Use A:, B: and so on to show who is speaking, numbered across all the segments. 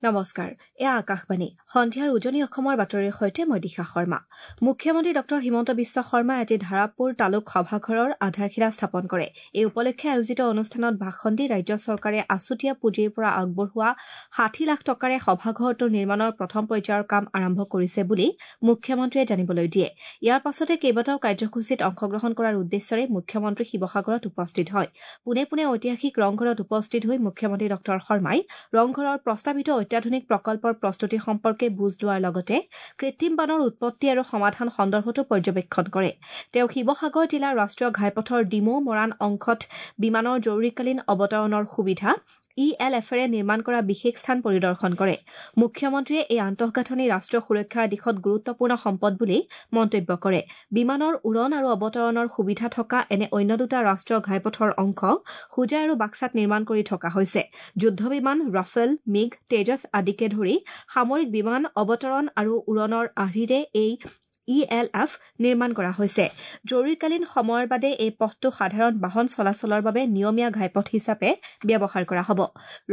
A: নমস্কাৰ, এয়া আকাশবাণী। সন্ধিয়াৰ উজনি অসমৰ বাতৰিৰ সৈতে মই দিশা শৰ্মা। মুখ্যমন্ত্ৰী ডঃ হিমন্ত বিশ্ব শৰ্মাই আজি ধাৰাপুৰ তালুক সভাঘৰৰ আধাৰশিলা স্থাপন কৰে। এই উপলক্ষে আয়োজিত অনুষ্ঠানত ভাষণ দি ৰাজ্য চৰকাৰে আছুতীয়া পুঁজিৰ পৰা আগবঢ়োৱা ৬০ লাখ টকাৰে সভাঘৰটোৰ নিৰ্মাণৰ প্ৰথম পৰ্যায়ৰ কাম আৰম্ভ কৰিছে বুলি মুখ্যমন্ত্ৰীয়ে জানিবলৈ দিয়ে। ইয়াৰ পাছতে কেইবাটাও কাৰ্যসূচীত অংশগ্ৰহণ কৰাৰ উদ্দেশ্যৰে মুখ্যমন্ত্ৰী শিৱসাগৰত উপস্থিত হয়। পোনে পোনে ঐতিহাসিক ৰংঘৰত উপস্থিত হৈ মুখ্যমন্ত্ৰী ডঃ শৰ্মাই ৰংঘৰৰ প্ৰস্তাৱিত অত্যাধুনিক প্ৰকল্পৰ প্ৰস্তুতি সম্পৰ্কে বুজ লোৱাৰ লগতে কৃত্ৰিম বানৰ উৎপত্তি আৰু সমাধান সন্দৰ্ভতো পৰ্যবেক্ষণ কৰে। তেওঁ শিৱসাগৰ জিলাৰ ৰাষ্ট্ৰীয় ঘাইপথৰ ডিমৌ মৰাণ অংশত বিমানৰ জৰুৰীকালীন অৱতৰণৰ সুবিধা ই এল এফেৰে নিৰ্মাণ কৰা বিশেষ স্থান পৰিদৰ্শন কৰে। মুখ্যমন্ত্ৰীয়ে এই আন্তঃগাঁথনি ৰাষ্ট্ৰীয় সুৰক্ষাৰ দিশত গুৰুত্বপূৰ্ণ সম্পদ বুলি মন্তব্য কৰে। বিমানৰ উৰণ আৰু অৱতৰণৰ সুবিধা থকা এনে অন্য দুটা ৰাষ্ট্ৰীয় ঘাইপথৰ অংশ হোজাই আৰু বাক্সাত নিৰ্মাণ কৰি থকা হৈছে। যুদ্ধ বিমান, ৰাফেল, মিগ, তেজছ আদিকে ধৰি সামৰিক বিমান অৱতৰণ আৰু উৰণৰ আৰ্হিৰে এই ই এল এফ নিৰ্মাণ কৰা হৈছে। জৰুৰীকালীন সময়ৰ বাদে এই পথটো সাধাৰণ বাহন চলাচলৰ বাবে নিয়মীয়া ঘাইপথ হিচাপে ব্যৱহাৰ কৰা হ'ব।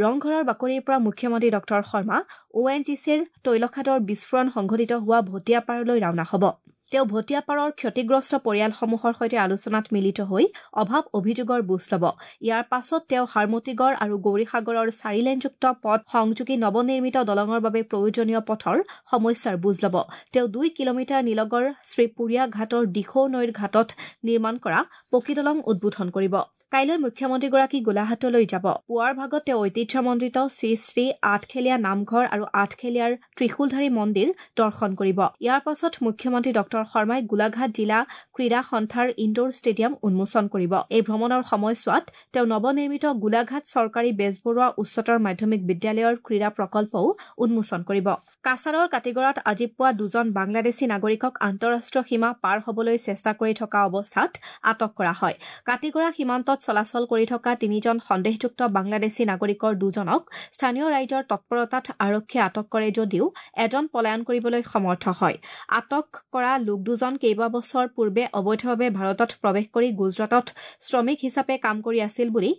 A: ৰংঘৰৰ বাকৰিৰ পৰা মুখ্যমন্ত্ৰী ডঃ শৰ্মা অ এন জি চিৰ তৈলখাদৰ বিস্ফোৰণ সংঘটিত হোৱা ভটিয়াপাৰলৈ ৰাওনা হ'ব। তেওঁ ভটিয়াপাৰৰ ক্ষতিগ্ৰস্ত পৰিয়ালসমূহৰ সৈতে আলোচনাত মিলিত হৈ অভাৱ অভিযোগৰ বুজ ল'ব। ইয়াৰ পাছত তেওঁ হাৰমতিগড় আৰু গৌৰীসাগৰৰ চাৰিলেনযুক্ত পথ সংযোগী নৱনিৰ্মিত দলঙৰ বাবে প্ৰয়োজনীয় পথৰ সমস্যাৰ বুজ ল'ব। তেওঁ ২ কিলোমিটাৰ নিলগৰ শ্ৰীপুৰীয়া ঘাটৰ দিখৌ নৈৰ ঘাটত নিৰ্মাণ কৰা পকী দলং উদ্বোধন কৰিব। কাইলৈ মুখ্যমন্ত্ৰীগৰাকী গোলাঘাটলৈ যাব। পুৱাৰ ভাগত তেওঁ ঐতিহ্যমণ্ডিত শ্ৰী শ্ৰী আঠখেলীয়া নামঘৰ আৰু আঠখেলীয়াৰ ত্ৰিশূলধাৰী মন্দিৰ দৰ্শন কৰিব। ইয়াৰ পাছত মুখ্যমন্ত্ৰী ডঃ শৰ্মাই গোলাঘাট জিলা ক্ৰীড়া সন্থাৰ ইণ্ডোৰ ষ্টেডিয়াম উন্মোচন কৰিব। এই ভ্ৰমণৰ সময়ছোৱাত তেওঁ নৱনিৰ্মিত গোলাঘাট চৰকাৰী বেজবৰুৱা উচ্চতৰ মাধ্যমিক বিদ্যালয়ৰ ক্ৰীড়া প্ৰকল্পও উন্মোচন কৰিব। কাছাৰৰ কাটিগড়াত আজি পুৱা দুজন বাংলাদেশী নাগৰিকক আন্তঃৰাষ্ট্ৰীয় সীমা পাৰ হবলৈ চেষ্টা কৰি থকা অৱস্থাত আটক কৰা হয়। কাটিগড়া সীমান্তত চলাচল কৰি থকা তিনিজন সন্দেহযুক্ত বাংলাদেশী নাগৰিকৰ দুজনক স্থানীয় ৰাইজৰ তৎপৰতাত আৰক্ষীয়ে আটক কৰে যদিও এজন পলায়ন কৰিবলৈ সমৰ্থ হয়। আটক কৰা লোক দুজন কেইবাবছৰ পূৰ্বে অবৈধভাৱে ভাৰতত প্ৰৱেশ কৰি গুজৰাটত শ্ৰমিক হিচাপে কাম কৰি আছিল বুলি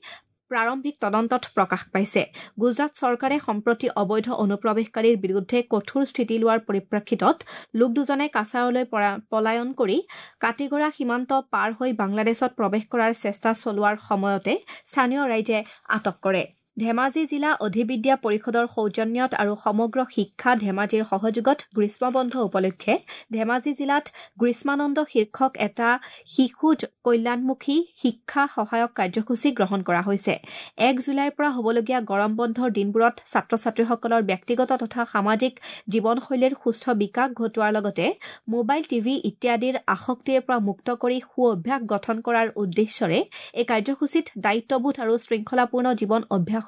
A: প্ৰাৰম্ভিক তদন্তত প্ৰকাশ পাইছে। গুজৰাট চৰকাৰে সম্প্ৰতি অবৈধ অনুপ্ৰৱেশকাৰীৰ বিৰুদ্ধে কঠোৰ স্থিতি লোৱাৰ পৰিপ্ৰেক্ষিতত লোক দুজনে কাছাৰলৈ পলায়ন কৰি কাটিগড়া সীমান্ত পাৰ হৈ বাংলাদেশত প্ৰৱেশ কৰাৰ চেষ্টা চলোৱাৰ সময়তে স্থানীয় ৰাইজে আটক কৰে। ধেমাজি জিলা অধিবিদ্যা পৰিষদৰ সৌজন্যত আৰু সমগ্ৰ শিক্ষা ধেমাজিৰ সহযোগত গ্ৰীষ্মবন্ধ উপলক্ষে ধেমাজি জিলাত গ্ৰীষ্মানন্দ শীৰ্ষক এটা শিশু কল্যাণমুখী শিক্ষা সহায়ক কাৰ্যসূচী গ্ৰহণ কৰা হৈছে। ১ জুলাইৰ পৰা হ'বলগীয়া গৰম বন্ধৰ দিনবোৰত ছাত্ৰ ছাত্ৰীসকলৰ ব্যক্তিগত তথা সামাজিক জীৱনশৈলীৰ সুস্থ বিকাশ ঘটোৱাৰ লগতে মোবাইল, টিভি ইত্যাদিৰ আসক্তিৰ পৰা মুক্ত কৰি সু অভ্যাস গঠন কৰাৰ উদ্দেশ্যৰে এই কাৰ্যসূচীত দায়িত্ববোধ আৰু শৃংখলাপূৰ্ণ জীৱন অভ্যাস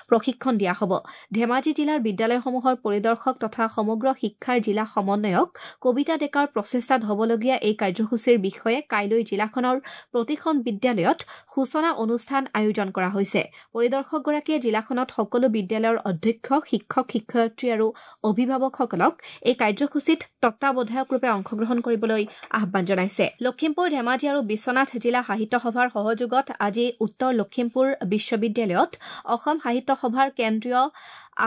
A: প্ৰশিক্ষণ দিয়া হ'ব। ধেমাজি জিলাৰ বিদ্যালয়সমূহৰ পৰিদৰ্শক তথা সমগ্ৰ শিক্ষাৰ জিলা সমন্বয়ক কবিতা ডেকাৰ প্ৰচেষ্টাত হ'বলগীয়া এই কাৰ্যসূচীৰ বিষয়ে কাইলৈ জিলাখনৰ প্ৰতিখন বিদ্যালয়ত সূচনা অনুষ্ঠান আয়োজন কৰা হৈছে। পৰিদৰ্শকগৰাকীয়ে জিলাখনত সকলো বিদ্যালয়ৰ অধ্যক্ষ, শিক্ষক, শিক্ষয়িত্ৰী আৰু অভিভাৱকসকলক এই কাৰ্যসূচীত তত্বাৱধায়কৰূপে অংশগ্ৰহণ কৰিবলৈ আহ্বান জনাইছে। লখিমপুৰ, ধেমাজি আৰু বিশ্বনাথ জিলা সাহিত্য সভাৰ সহযোগত আজি উত্তৰ লখিমপুৰ বিশ্ববিদ্যালয়ত অসম সাহিত্য সভাৰ কেন্দ্ৰীয়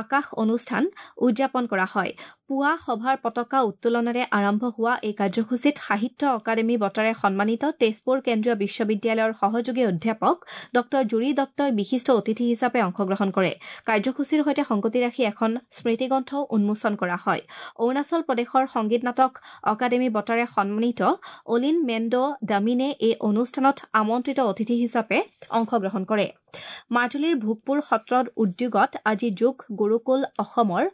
A: আকাশ অনুষ্ঠান উদযাপন কৰা হয়। পুৱা সভাৰ পতাকা উত্তোলনেৰে আৰম্ভ হোৱা এই কাৰ্যসূচীত সাহিত্য অকাডেমী বঁটাৰে সন্মানিত তেজপুৰ কেন্দ্ৰীয় বিশ্ববিদ্যালয়ৰ সহযোগী অধ্যাপক ডঃ জুৰি দত্তই বিশিষ্ট অতিথি হিচাপে অংশগ্ৰহণ কৰে। কাৰ্যসূচীৰ সৈতে সংগতি ৰাখি এখন স্মৃতিগ্ৰন্থও উন্মোচন কৰা হয়। অৰুণাচল প্ৰদেশৰ সংগীত নাটক অকাডেমী বঁটাৰে সন্মানিত অলিন মেণ্ডো দামিনে এই অনুষ্ঠানত আমন্ত্ৰিত অতিথি হিচাপে অংশগ্ৰহণ কৰে। মাজুলীৰ ভোগপুৰ সত্ৰৰ উদ্যোগত আজি যোগ গুৰুকুল অসমৰ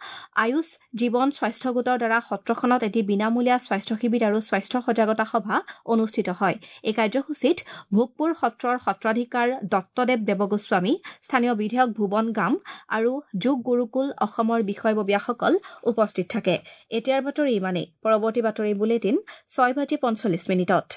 A: আয়ুষ জীৱন স্বাস্থ্য গোটৰ দ্বাৰা সত্ৰখনত এটি বিনামূলীয়া স্বাস্থ্য শিবিৰ আৰু স্বাস্থ্য সজাগতা সভা অনুষ্ঠিত হয়। এই কাৰ্যসূচীত ভোগপুৰ সত্ৰৰ সত্ৰাধিকাৰ দত্তদেৱ দেৱগোস্বামী, স্থানীয় বিধায়ক ভুৱন গাম আৰু যোগ গুৰুকুল অসমৰ বিষয়ববীয়াসকল উপস্থিত থাকে। এতিয়াৰ বাতৰি ইমানেই। পৰৱৰ্তী বাতৰি বুলেটিন ৬:৪৫।